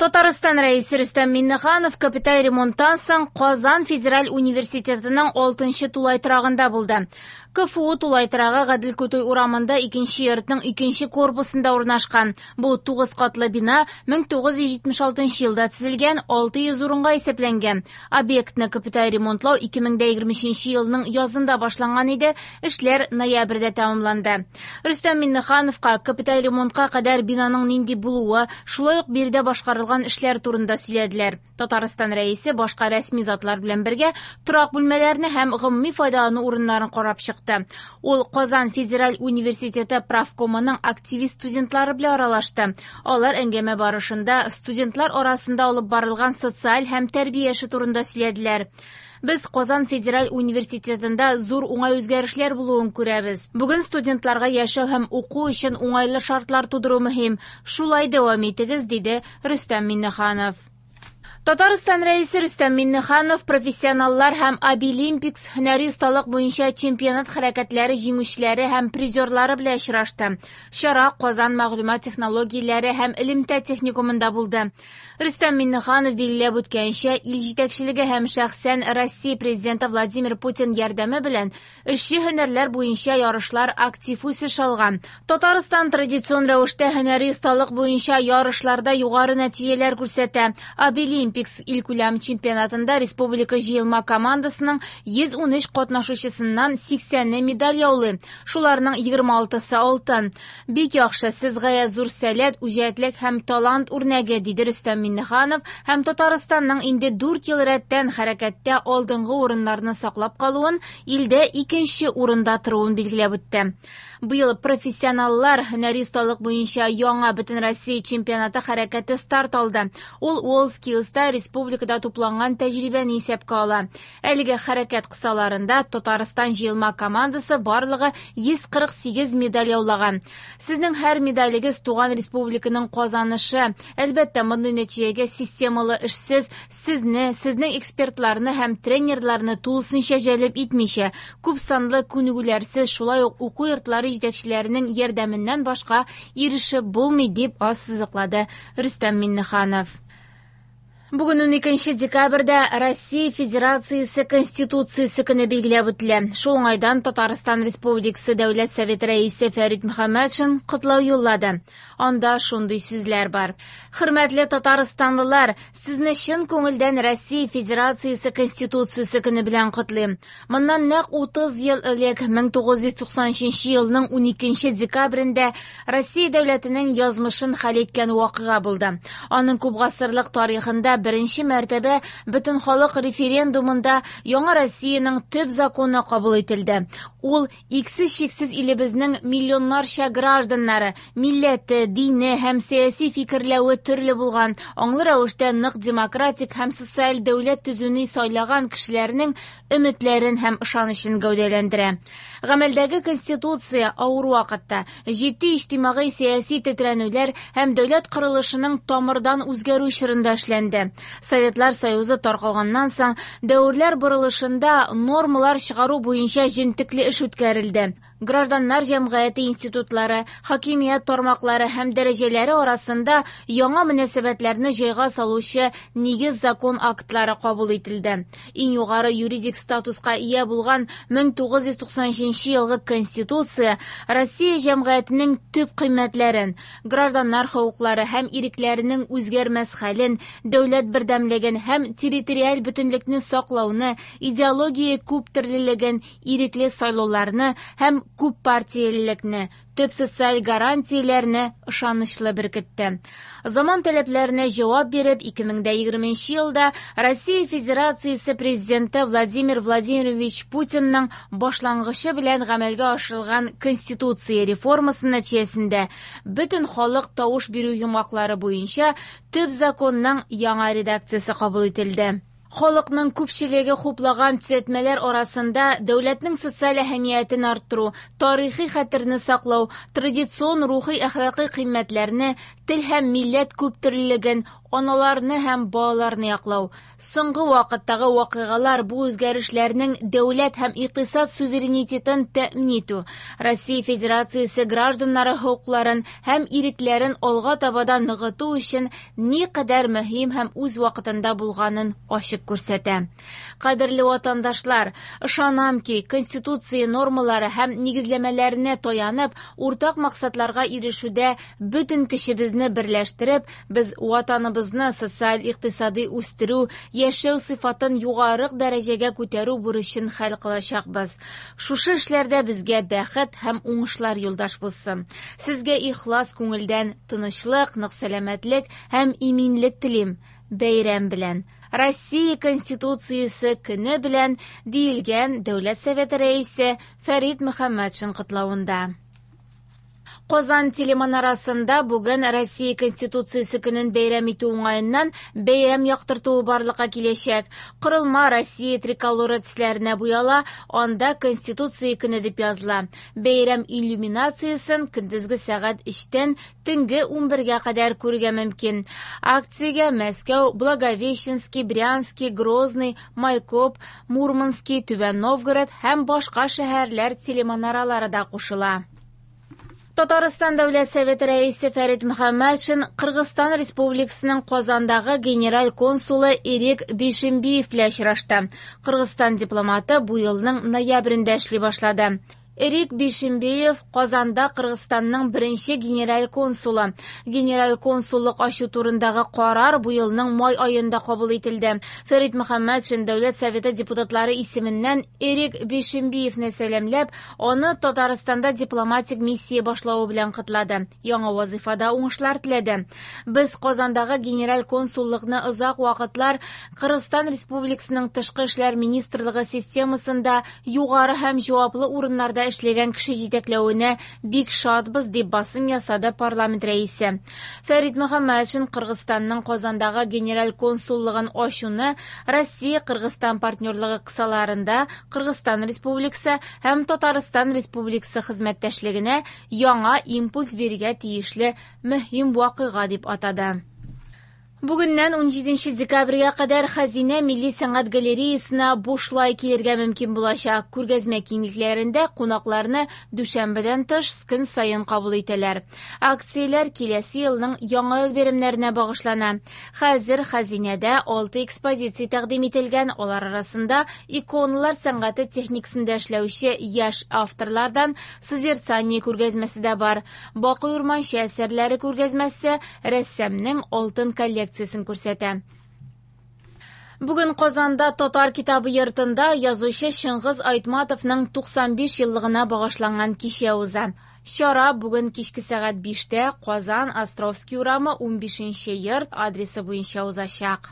Татарстан Рәисе Рөстәм Миңнеханов капиталь ремонттан соң Казан федераль университетының 6нчы тулай торагында булды. КФУ тулай торагы Гадел Кутуй урамында икенче йортның икенче корпусында урнашкан. Бу 9 катлы бина 1976 елда төзелгән, 600 урынга исәпләнгән. Объектны капиталь ремонтлау 2023 елның язында башланган иде, эшләр ноябрьдә тәмамланды. Рөстәм Миңнехановка капиталь ремонтка кадәр бинаның нинди булуы, шулай ук биредә башкарылган эшләр турында сөйләделәр. Татарстан Рәисе башка рәсми затлар белән бергә торак бүлмәләрне һәм гомуми файдалану урыннарын карап чыкты. Ул Казан федераль университеты правкомының активист студентлары белән аралашты. Алар әңгәмә барышында студентлар арасында алып барылган социаль һәм тәрбия эше турында сөйләделәр. Без Казан федераль университетында зур уңай үзгәрешләр булуын күрәбез. Бүген студентларга яшәү һәм уку өчен уңайлы шартлар тудыру мөһим. Шулай дәвам итегез, диде Рөстәм Миңнеханов. Татарстан Рәисе Рөстәм Миңнеханов профессионаллар һәм Абилимпикс һөнәри осталык буенча чемпионат хәрәкәтләре җиңүчеләре һәм призерлары белән очрашты. Чара Казан мәгълүмат технологияләре һәм элемтә техникумында булды. Рөстәм Миңнеханов билгеләп үткәнчә, ил җитәкчелеге һәм шәхсән Россия президенты Владимир Путин ярдәме белән эшче һөнәрләр буенча ярышлар актив үсеш алган. Татарстан традицион рәвештә һөнәри осталык буенча ярышларда югары нәтиҗәләр күрсәтә. Абилимпикс илкүләм чемпионатында республика җыелма командасының 113 катнашучысыннан 80-е медаль яулый. Шуларның 26-сы алтын. Бик яхшы, сез гаять зур сәләт, үҗәтлек һәм талант үрнәге, диде Рөстәм Миңнеханов һәм Татарстанның инде 4 ел рәттән хәрәкәттә алдынгы урыннарны саклап калуын, илдә икенче урында торуын билгеләп үтте. Быел профессионаллар һөнәри осталык буенча яңа Бөтенроссия чемпионаты хәрәкәте старт алды. Ул WorldSkills'та республикада тупланган тәҗрибәне исәпкә ала. Әлеге хәрәкәт кысаларында Татарстан җыелма командасы барлыгы 148 медаль яулаган. Сезнең һәр медалегез туган республиканың казанышы. Әлбәттә, мондый нәтиҗәгә системалы эшсез сезне, сезнең экспертларны һәм тренерларны тулысынча җәлеп итмичә, күп санлы күнегүләрсез, шулай ук уку йортлары җитәкчеләренең ярдәменнән башка ирешеп булмый, дип ассызыклады Рөстәм Миңнеханов. Бүген 12 декабрьдә Россия Федерациясе Конституциясе көне билгеләп үтелә. Шул уңайдан Татарстан Республикасы Дәүләт Советы рәисе Фәрит Мөхәммәтшин котлау юллады. Анда шундый сүзләр бар. Хөрмәтле татарстанлылар, сезне чын күңелдән Россия Федерациясе Конституциясе көне белән котлыйм. Моннан нәкъ 30 ел элек 1993 елның 12 декабрендә Россия дәүләтенең язмышын хәл иткән вакыйга булды. Аның күп гасырлык тарихында беренче мәртәбә бөтенхалык референдумында яңа Россиянең төп законы кабул ителде. Ул иксез-чиксез илебезнең миллионнарча гражданнары, милләте, дине һәм сәяси фикерләве төрле булган, аңлы рәвештә нык демократик һәм социаль дәүләт төзүне сайлаган кешеләрнең өметләрен һәм ышанычын гәүдәләндерә. Гамәлдәге Конституция авыр вакытта җитди иҗтимагый сәяси тетрәнүләр һәм дәүләт корылышының тамырдан үзгәрү чорында эшләнде. Советлар Союзы таркалганнан соң дәверләр борылышында нормалар чыгару буенча җентекле эш үткәрелде. Гражданнар җәмгыяте институтлары, хакимият тармаклары һәм дәрәҗәләре арасында яңа мөнәсәбәтләрне җайга салучы нигез закон актлары кабул ителде. Иң югары юридик статуска ия булган 1993 елгы Конституция Россия җәмгыятенең төп кыйммәтләрен, гражданнар хокуклары һәм ирекләренең үзгәрмәс хәлен, дәүләт бердәмлеген һәм территориаль бөтенлекне саклауны, идеология күптөрлелеген, ирекле сайлауларны һәм күп партиялелекне, төп социаль гарантияләрне ышанычлы беркетте. Заман таләпләренә җавап биреп, 2020 елда Россия Федерациясе президенты Владимир Владимирович Путинның башлангычы белән гамәлгә ашырылган Конституция реформасы нәтиҗәсендә бөтен халык тавыш бирү йомгаклары буенча төп законның яңа редакциясе кабул ителде. Халыкның күпчелеге хуплаган төзәтмәләр арасында дәүләтнең социаль әһәмиятен арттыру, тарихи хәтерне саклау, традицион рухи-әхлакый кыйммәтләрне, тел һәм милләт күптөрлелеген, аналарны һәм балаларны яклау. Соңгы вакыттагы вакыйгалар бу үзгәрешләрнең дәүләт һәм икътисад суверенитетын тәэмин итү, Россия Федерациясе гражданнары хокукларын һәм ирекләрен алга таба да ныгыту өчен никадәр мөһим һәм үз вакытында булганын ачык күрсәтә. Кадерле ватандашлар, ышанам ки, Конституция нормалары һәм нигезләмәләренә таянып, уртак максатларга ирешүдә бөтен көчебезне берләштереп, без ватаныбызны социаль-икътисади үстерү, яшәү сыйфатын югары дәрәҗәгә күтәрү бурычын хәл кылачакбыз. Шушы эшләрдә безгә бәхет һәм уңышлар юлдаш булсын. Сезгә ихлас күңелдән тынычлык, нык сәламәтлек һәм иминлек телим. Бәйрәм белән! Россия Конституциясе көне белән, диелгән Дәүләт Советы Рәисе Фәрит Мөхәммәтшин котлавында. Казан телеманарасында бүген Россия Конституциясе көнен бәйрәм итү уңаеннан бәйрәм яктыртуы барлыкка киләчәк. Корылма Россия триколоры төсләренә буяла, анда Конституция көне дип языла. Бәйрәм иллюминациясен көндезге сәгать 3-тән төнге 11-гә кадәр күрергә мөмкин. Акциягә Мәскәү, Благовещенский, Брянский, Грозный, Майкоп, Мурманский, Түбән Новгород һәм башка шәһәрләр телеманаралары да кушыла. Татарстан Дәүләт Советы рәисе Фәрит Мөхәммәтшин Кыргызстан Республикасының Казандагы генераль консулы Эрик Бишимбиев белән очрашты. Кыргызстан дипломаты бу елның ноябрендә эшли башлады. Эрик Бишимбиев Казанда Кыргызстанның беренче генераль консулы. Генераль консуллык ачу турындагы карар бу елның май аенда кабул ителде. Фәрит Мөхәммәтшин Дәүләт Советы депутатлары исеменнән Эрик Бишимбиевне сәламләп, аны Татарстанда дипломатик миссия башлавы белән котлады. Яңа вазифада уңышлар теләде. Без Казандагы генераль консуллыкны озак вакытлар Кыргызстан Республикасының Тышкы эшләр министрлыгы системасында югары һәм җаваплы урыннарда эшләгән кеше җитәкләвенә бик шатбыз, дип басым ясады парламент рәисе. Фәрит Мөхәммәтшин Кыргызстанның Казандагы генераль консуллыгын ачуны Россия-Кыргызстан партнерлыгы кысаларында Кыргызстан Республикасы һәм Татарстан Республикасы хезмәттәшлегенә яңа импульс бирергә тиешле мөһим вакыйга дип атады. Бүгеннән 17 декабрьгә кадәр Хәзинә милли сәнгать галереясына бушлай килергә мөмкин булачак. Күргәзмә киңлекләрендә кунакларны дүшәмбедән тыш көн саен кабул итәләр. Акцияләр киләсе елның яңа ел бәйрәмнәренә багышлана. Хәзер Хәзинәдә 6 экспозиция тәкъдим ителгән, алар арасында иконалар сәнгате техникасында эшләүче яшь авторлардан Созерцание күргәзмәсе дә бар. Бакый Урманче әсәрләре күргәзмәсе рәссамның алтын коллекциясен күрсәтә. Бүген Казанда Татар китабы йортында язучы Чыңгыз Айтматовның 95 еллыгына багышланган кичә уза. Чара бүген кичке сәгать 5-тә Казан Островский урамы 15 йорт адресы буенча узачак.